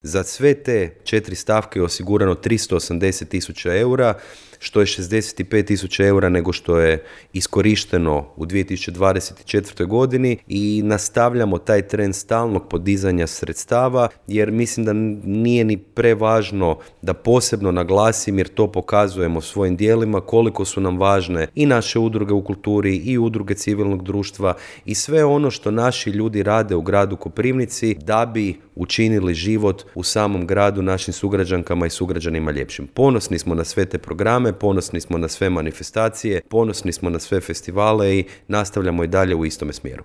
Za sve te 4 stavke je osigurano 380.000 eura, što je 65.000 eura nego što je iskorišteno u 2024. godini i nastavljamo taj trend stalnog podizanja sredstava jer mislim da nije ni prevažno da posebno naglasim jer to pokazujemo svojim djelima koliko su nam važne i naše udruge u kulturi i udruge civilnog društva i sve ono što naši ljudi rade u gradu Koprivnici da bi učinili život u samom gradu našim sugrađankama i sugrađanima ljepšim. Ponosni smo na sve te programe, ponosni smo na sve manifestacije, ponosni smo na sve festivale i nastavljamo i dalje u istome smjeru.